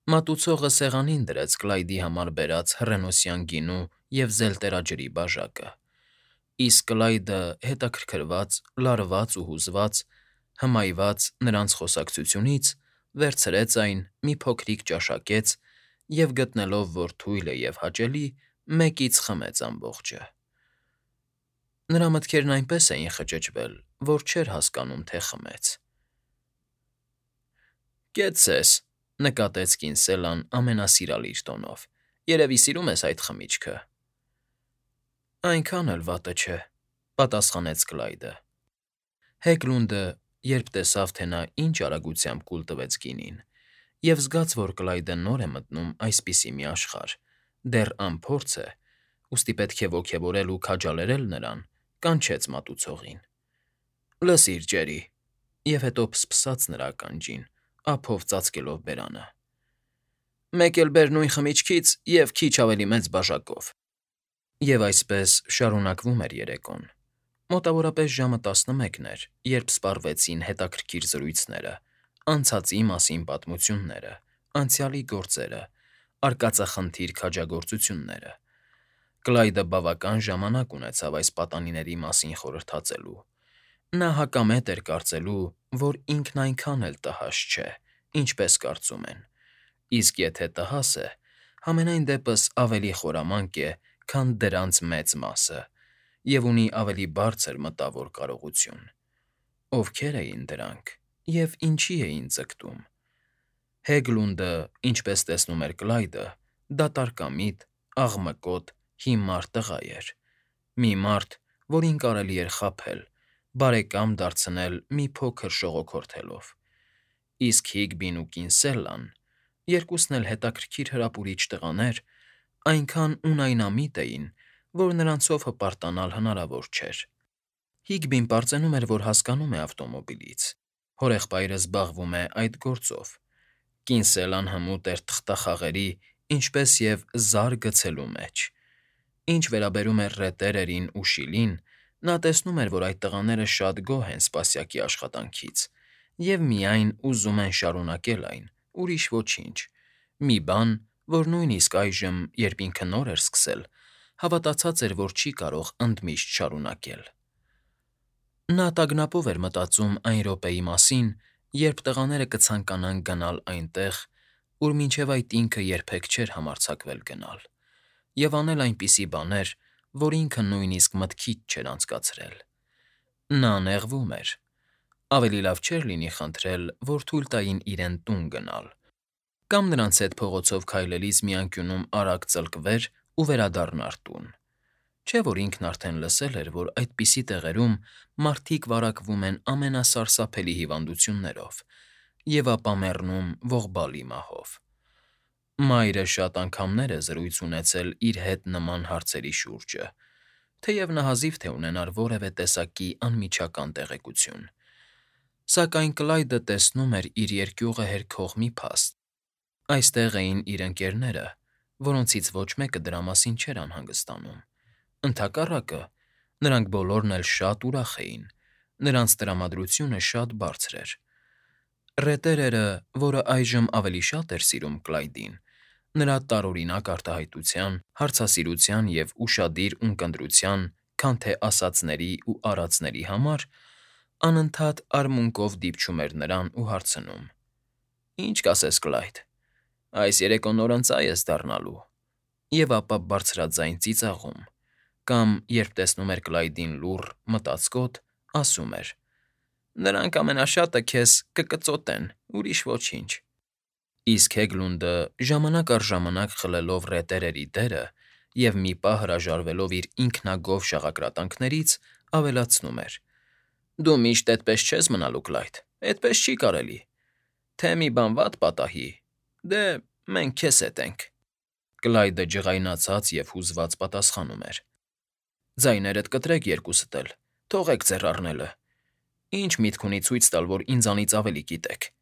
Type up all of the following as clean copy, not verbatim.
Մատուցողը սեղանին դրեց Կլայդի համար բերած հռենոսյան գինու և զելտերաջրի բաժակը, իսկ Կլայդը հետաքրքրված, լարված ու հուզված, հմայված նրանց խոսակցությունից, վերցրեց այն, մի փոքրիկ ճաշակեց և, գտնելով, որ թույլ է և հաճելի, մեկից խմեց ամբողջը։ Նրա մտքերն այնպես էին խճճվել, որ չէր հասկանում, թե խմեց։ «Կեցցես,֊ նկատեց Կինսելան ամենասիրալիր տոնով։֊ Երևի սիրում ես այդ խմիչքը։ «Այնքան էլ վատը չէ,֊ պատասխանեց Կլայդը։ Հեգլունդը, երբ տեսավ, թե նա ինչ արագությամբ կուլ տվեց գինին, և զգաց, որ Կլայդը նոր է մտնում այսպիսի մի աշխարհ, դեռ անփորձ է, ուստի պետք է ոգևորել ու քաջալերել նրան, կանչեց մատուցողին. «Լսիր, Ջերի,֊ և հետո փսփսաց նրա ականջին, ափով ծածկելով բերանը,֊ մեկ էլ բեր նույն խմիչքից և քիչ ավելի մեծ բաժակով»։ Եվ այսպես շարունակվում էր երեկոն։ Մոտավորապես ժամը 11 էր, երբ սպառվեցին հետաքրքիր զրույցները, անցածի մասին պատմությունները, անցյալի գործերը, արկածախնդիր քաջագործությունները։ Կլայդը բավական ժամանակ ունեցավ այս պատանիների մասին խորհրդածելու։ Նա հակամետ էր կարծելու, որ ինքն այնքան էլ տհաճ չէ, ինչպես կարծում են, իսկ եթե տհաս է, համենայն դեպս ավելի խորամանկ է, քան դրանց մեծ մասը, և ունի ավելի բարձր մտավոր կարողություն։ Ովքե՞ր էին դրանք և ինչի էին ձգտում։ Հեգլունդը, ինչպես տեսնում էր Կլայդը, դատարկամիտ, աղմկոտ, հիմար տղա էր։ Մի մարդ, որին կարելի էր խաբել, բարեկամ դարձնել մի փոքր շողոքորթելով։ Իսկ Հիգբին ու Կինսելլան, երկուսն էլ հետաքրքիր հրապուրիչ տղաներ, այնքան ունայնամիտ էին, որ նրանցով հպարտանալ հնարավոր չէր։ Հիգբին պարծենում էր, որ հասկանում է ավտոմոբիլից, հորեղբայրը զբաղվում է այդ գործով, Կինսելլան հմուտ էր թղթախաղերի, ինչպես և զար գցելու մեջ։ Ինչ վերաբերում էր Ռետերերին ու Շիլին, նա տեսնում էր, որ այդ տղաները շատ գոհ են սպասյակի աշխատանքից և միայն ուզում են շարունակել այն, ուրիշ ոչինչ, մի բան, որ նույնիսկ այժմ, երբ ինքը նոր էր սկսել, հավատացած էր, որ չի կարող ընդմիշտ շարունակել։ Նա տագնապով էր մտածում այն րոպեի մասին, երբ տղաները կցանկանան գնալ այնտեղ, ուր մինչև այդ ինքը երբեք չէր համարձակվել գնալ, և անել այնպիսի բաներ, որ ինքը նույնիսկ մտքից չէր անցկացրել։ Նա նեղվում էր։ Ավելի լավ չէր լինի խնդրել, որ թույլ տային իրեն տուն գնալ, կամ նրանց հետ փողոցով քայլելիս մի անկյունում արագ ծլկվեր ու վերադառնար տուն։ Չէ՞ որ ինքն արդեն լսել էր, որ այդպիսի տեղերում մարդիկ վարակվում են ամենասարսափելի հիվանդություններով և ապա մեռնում ողբալի մահով։ Մայրը շատ անգամներ է զրույց ունեցել իր հետ նման հարցերի շուրջը, թեև նահազիվ թե ունենար որևէ տեսակի անմիջական տեղեկություն։ Սակայն Կլայդը տեսնում էր իր երկյուղը հերքող մի փաստ. այստեղ էին իր ընկերները, որոնցից ոչ մեկը դրա մասին չէր անհանգստանում։ Ընդհակառակը, նրանք բոլորն էլ շատ ուրախ էին, նրանց տրամադրությունը շատ բարձր էր։ Ռետերերը, որը այժմ ավելի շատ էր սիրում Կլայդին, նրա տարօրինակ արտահայտության, հարցասիրության և ուշադիր ունկնդրության, քան թե ասածների ու արածների համար, անընդհատ արմունկով դիպչում էր նրան ու հարցնում. «Ինչ կասես, Կլայդ, այս երեկո նոր ընծա ես դառնալու», և ապա բարձրաձայն ծիծաղում, կամ, երբ տեսնում էր Կլայդին լուռ, մտածկոտ, ասում էր. «Նրանք ամենաշատը քեզ կկծոտեն, ուրիշ ոչինչ»։ Իսկ Հեգլունդը, ժամանակ առ ժամանակ խլելով Ռետերերի դերը և մի պահ հրաժարվելով իր ինքնագոհ շաղակրատանքներից, ավելացնում էր. «Դու միշտ էդպես չես մնալու, Կլայդ, էդպես չի կարելի։ Թե մի բան վատ պատահի, դե, մենք քեզ հետ ենք»։ Կլայդը ջղայնացած և հուզված պատասխանում էր. «Ձայներդ կտրեք երկուսդ էլ, թողեք ձեռ առնելը։ Ի՞նչ միտք ունի ցույց տալ, որ ինձանից ավելի գիտեք»։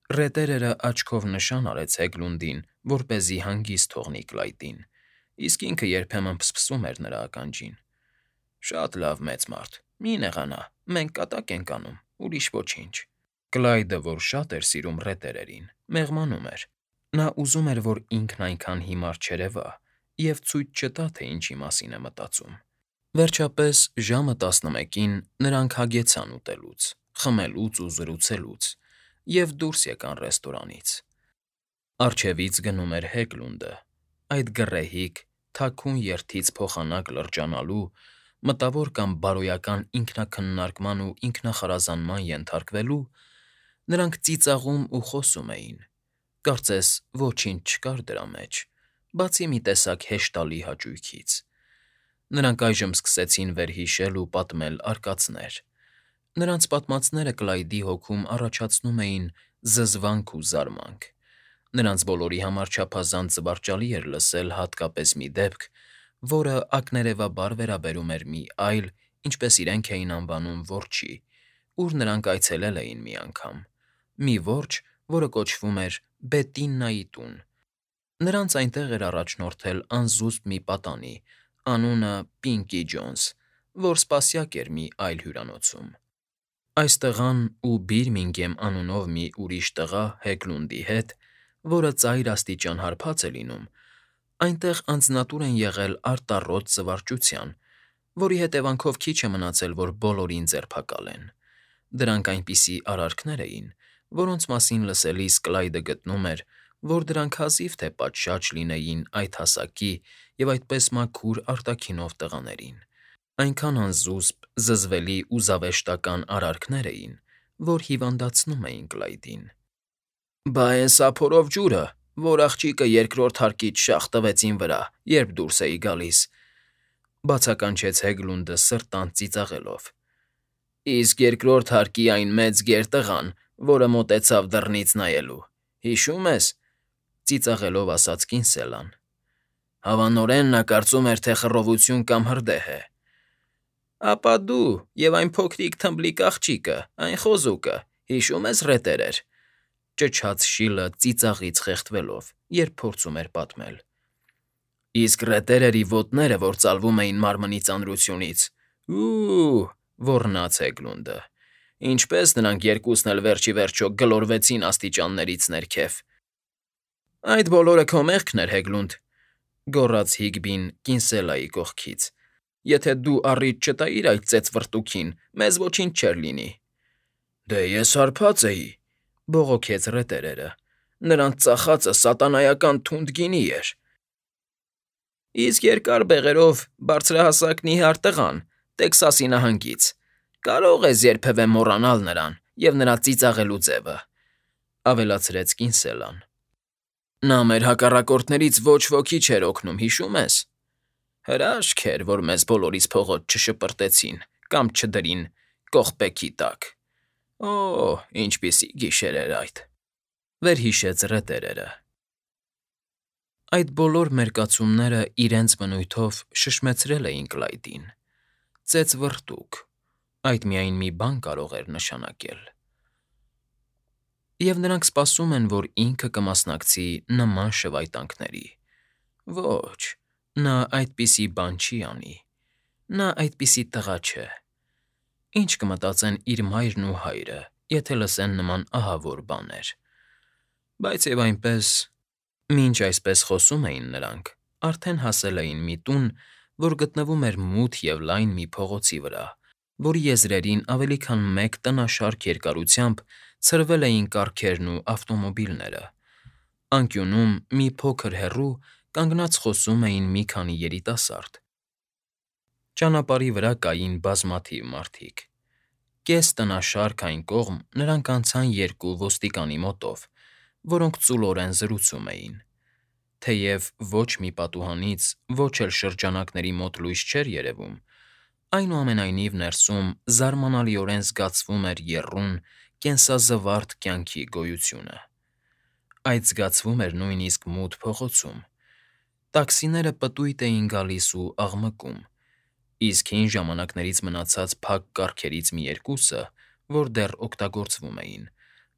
Ռետերերը աչքով նշան արեց Հեգլունդին, որպեսզի հանգիստ թողնի Կլայդին, իսկ ինքը երբեմն փսփսում էր նրա ականջին. «Շատ լավ, մեծ մարդ, մի նեղանա, մենք կատակ ենք անում, ուրիշ ոչինչ»։ Կլայդը, որ շատ էր սիրում Ռետերերին, մեղմանում էր. Նա ուզում էր, որ ինքն այնքան հիմար չերևա և ցույց չտա, թե ինչի մասին է մտածում։ Վերջապես, ժամը 11-ին նրանք հագեցան ուտելուց, խմելուց ու զրուցելուց և դուրս եկան ռեստորանից։ Առջևից գնում էր Հեգլունդը, այդ գռեհիկ, թաքուն երթից փոխանակ լրջանալու, մտավոր կամ բարոյական ինքնաքննարկման ու ինքնախարազանման ենթարկվելու, նրանք ծիծաղում ու խոսում էին, կարծես ոչինչ չկար դրա մեջ, բացի մի տեսակ հեշտալի հաճույքից։ Նրանք այժմ սկսեցին վերհիշել ու պատմել արկածներ։ Նրանց պատմածները Կլայդի հոգում առաջացնում էին զզվանք ու զարմանք։ Նրանց բոլորի համար չափազանց զվարճալի էր լսել հատկապես մի դեպք, որը ակներևաբար վերաբերում էր մի այլ, ինչպես իրենք էին անվանում, որջի, ուր նրանք այցելել էին մի անգամ, մի որջը, որը կոչվում էր Բետիննայի տուն։ Նրանց այնտեղ էր առաջնորդել անզուսպ մի պատանի, անունը Պինկի Ջոնս, որ սպասյակ էր մի այլ հյուրանոցում։ Այս տղան ու Բիրմինգեմ անունով մի ուրիշ տղա Հեգլունդի հետ, որը ծայր աստիճան հարբած է լինում, այնտեղ անձնատուր են եղել արտառոտ զվարճության, որի հետևանքով քիչ է մնացել, որ բոլորին ձերբակալեն։ Դրանք այնպիսի արարքներ էին, որոնց մասին լսելիս Կլայդը գտնում էր, որ դրանք հազիվ թե պատշաճ լինեին այդ հասակի և այդպես մաքուր արտաքինով տղաներին։ Այնքան անզուսպ, զզվելի ու զավեշտական արարքներ էին, որ հիվանդացնում էին Կլայդին։ «Բա էն սափորով ջուրը, որ աղջիկը երկրորդ հարկից շաղ տվեց իմ վրա, երբ դուրս էի գալիս,֊ բացականչեց Հեգլունդը սրտանց ծիծաղելով։ Իսկ երկրորդ հարկի այն մեծ գերտղան, որը մոտեցավ դռնից նայելու, հիշո՞ւմ ես,֊ ծիծաղելով ասաց Կինսելան։ Հավանորեն նա կարծում էր, թե խռովություն կամ հրդեհ է։ Ապա դու և այն փոքրիկ թմբլիկ աղջիկը, այն խոզուկը, հիշո՞ւմ ես ռետեր էր,֊ ճչաց Շիլը ծիծաղից խեղդվելով, երբ փորձում էր պատմել։ Իսկ ռետերերի ոտները, որ ծալվում էին մարմնի ծանրությունից, ու՜, ոռնաց Հեգլունդը, ինչպես նրանք երկուսն էլ վերջ ի վերջո գլորվեցին աստիճաններից ներքև։ Այդ բոլորը քո մեղքն էր, Հեգլունդ,֊ գոռաց Հիգբին Կինսելայի կողքից։ Եթե դու առիթ չտայիր այդ ծեծվռտուքին, մեզ ոչինչ չէր լինի։ Դե ես հարբած էի,֊ բողոքեց ռետերերը։ Նրանց ծախածը սատանայական թունդ գինի էր։ Իսկ երկար բեղերով բարձրահասակ նիհար տղան Տեքսասի նահանգից, կարո՞ղ ես երբևէ մոռանալ նրան և նրա ծիծաղելու ձևը,֊ ավելացրեց Կինսելան։ Նա մեր հակառակորդներից ոչ ոքի չէր օգնում, հիշո՞ւմ ես։ Հրաշք էր, որ մեզ բոլորիս փողոց չշպրտեցին կամ չդրին կողպեքի տակ։ Օ՜, ինչպիսի գիշեր էր այդ,֊ վերհիշեց ռետերերը։ Այդ բոլոր մերկացումները իրենց բնույթով շշմեցրել էին Կլայդին։ Ծեծվռտուք, այդ միայն մի բան կարող էր նշանակել։ Եվ նրանք սպասում են, որ ինքը կմասնակցի նման շվայտանքների։ Ոչ, նա այդպիսի բան չի անի։ Նա այդպիսի տղա չէ։ Ինչ կմտածեն իր մայրն ու հայրը, եթե լսեն նման ահավոր բաներ։ Բայց և այնպես, մինչ այսպես խոսում էին նրանք, արդեն հասել էին մի տուն, որ գտնվում էր մութ և լայն մի փողոցի վրա, որի եզրերին ավելի քան մեկ տնաշարք երկարությամբ ցրվել էին կառքերն ու ավտոմոբիլները։ Անկյունում, մի փոքր հեռու, կանգնած խոսում էին մի քանի երիտասարդ։ Ճանապարհի վրա կային բազմաթիվ մարդիկ։ Կես տնաշարք այն կողմ նրանք անցան երկու ոստիկանի մոտով, որոնք ծուլորեն զրուցում էին։ Թեև ոչ մի պատուհանից, ոչ էլ շրջանակների մոտ լույս չէր երևում, այնուամենայնիվ ներսում զարմանալիորեն զգացվում էր եռուն, կենսազվարթ կյանքի գոյությունը։ Այդ զգացվում էր նույնիսկ մութ փողոցում։ Տաքսիները պտույտ էին գալիս ու աղմկում, իսկ հին ժամանակներից մնացած փակ կառքերից մի երկուսը, որ դեռ օգտագործվում էին,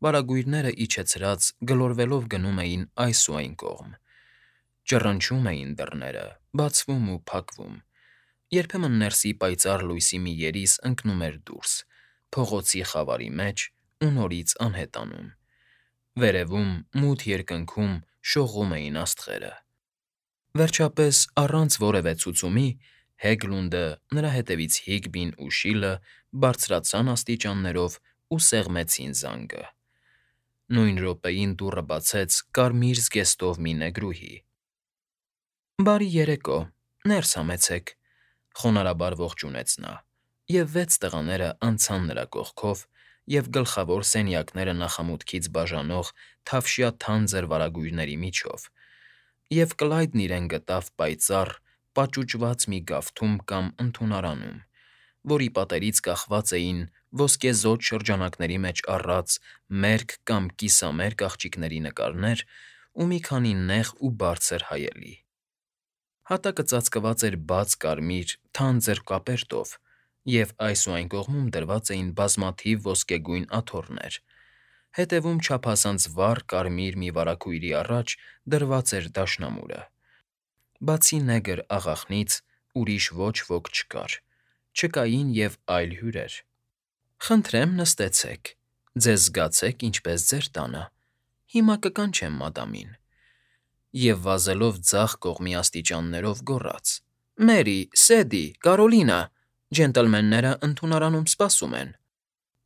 վարագույրները իջեցրած գլորվելով գնում էին այս ու այն կողմ։ Ճռնչում էին դռները, բացվում ու փակվում։ Երբեմն ներսի պայծառ լույսի մի երիս ընկնում էր դուրս, փողոցի խավարի մեջ ու նորից անհետանում։ Վերևում, մութ երկնքում շողում էին աստղերը։ Վերջապես, առանց որևէ ցուցումի, Հեգլունդը, նրա հետևից Հիգբին ու Շիլը բարձրացան աստիճաններով ու սեղմեցին զանգը։ Նույն րոպեին դուռը բացեց կարմիր զգեստով մի նեգրուհի։ «Բարի երեկո, ներս համեցեք», խոնարհաբար ողջունեց նա, և 6 տղաները անցան նրա կողքով և գլխավոր սենյակները նախամուտքից բաժանող թավշյա թանձր վարագույրների միջով, և Կլայդն իրեն գտավ պայծառ, պաճուճված մի գավթում կամ ընդունարանում, որի պատերից կախված էին ոսկեզօծ շրջանակների մեջ առած մերկ կամ կիսամերկ աղջիկների նկարներ ու մի քանի նեղ ու բարձր հայելի։ Հատակը ծածկված էր բաց կարմիր, թանձր կապերտով, և այս ու այն կողմում դրված էին բազմաթիվ ոսկեգույն աթոռներ, հետևում չափազանց վառ կարմիր մի վարագույրի առաջ դրված էր դաշնամուրը։ Բացի նեգր աղախնից ուրիշ ոչ ոք չկար, չկային և այլ հյուրեր։ «Խնդրեմ նստեցեք, ձեզ զգացեք ինչպես ձեր տանը, հիմա կկանչեմ մադամին», և վազելով ձախ կողմի աստիճաններով գոռաց. «Մերի, Սեդի, Կարոլինա, ջենտլմենները ընդունարանում սպասում են»։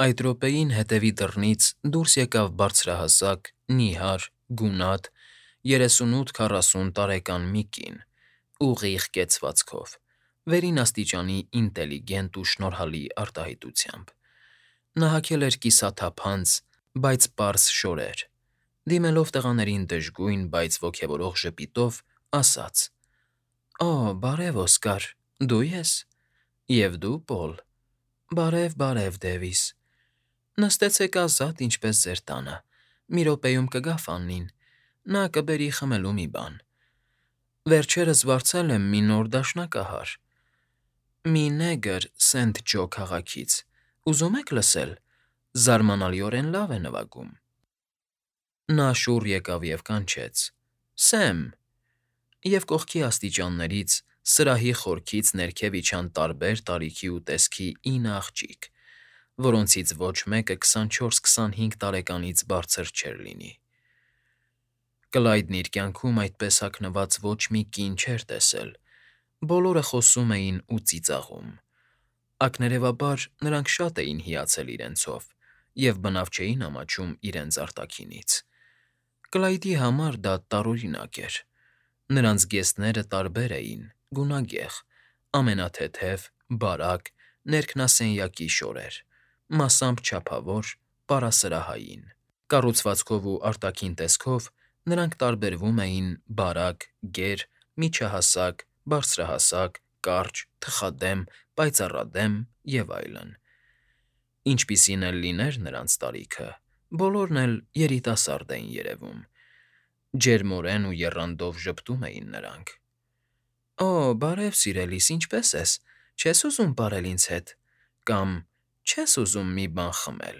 Այդ րոպեին հետևի դռնից դուրս եկավ բարձրահասակ, նիհար, գունատ, 38-40 տարեկան մի կին, ուղիղ կեցվածքով, վերին աստիճանի ինտելիգենտ ու շնորհալի արտահայտությամբ։ Նա հագել էր կիսաթափանց, բայց պարզ շորեր, դիմելով տղաներին դժգույն, բայց ոգևորող ժպիտով, ասաց. «Օ, բարև, Օսկար, դու ե՞ս, և դու, Պոլ, բարև, Դեվիս, նստեցեք ազատ, ինչպես ձեր տանը, մի րոպեում կգա Ֆաննին, նա կբերի խմելու մի բան։ Վերջերս վարձել եմ մի նոր դաշնակահար, մի նեգր Սենթ Ջո քաղաքից, ուզում եք լսել, զարմանալիորեն լավ է նվագում»։ Նա շուռ եկավ և կանչեց. «Սեմ», և կողքի աստիճաններից, սրահի խորքից ներքև իջան տարբեր տարիքի ու տեսքի 9 աղջիկ, որոնցից ոչ մեկը 24-25 տարեկանից բարձր չէր լինի։ Կլայդն իր կյանքում այդպես հագնված ոչ մի կին չէր տեսել, բոլորը խոսում էին ու ծիծաղում։ Ակներևաբար նրանք շատ էին հիացել իրենցով և բնավ չէին ամաչում իրենց արտաքինից։ Կլայդի համար դա տարօրինակ էր։ Նրանց զգեստները տարբեր էին, գունագեղ, ամենաթեթև, բարակ, ներքնասենյակի շորեր, մասամբ չափավոր, պարասրահային։ Կառուցվածքով ու արտաքին տեսքով նրանք տարբերվում էին բարակ, գեր, միջահասակ, բարձրահասակ, կարճ, թխադեմ, պայծառադեմ և այլն։ Ինչպիսին էլ լիներ նրանց տարիքը, բոլորն էլ երիտասարդ էին երևում։ Ջերմորեն ու եռանդով ժպտում էին նրանք։ «Օ, բարև, սիրելիս, ինչպե՞ս ես, չես ուզում պարել ինձ հետ» կամ «Չես ուզում մի բան խմել»։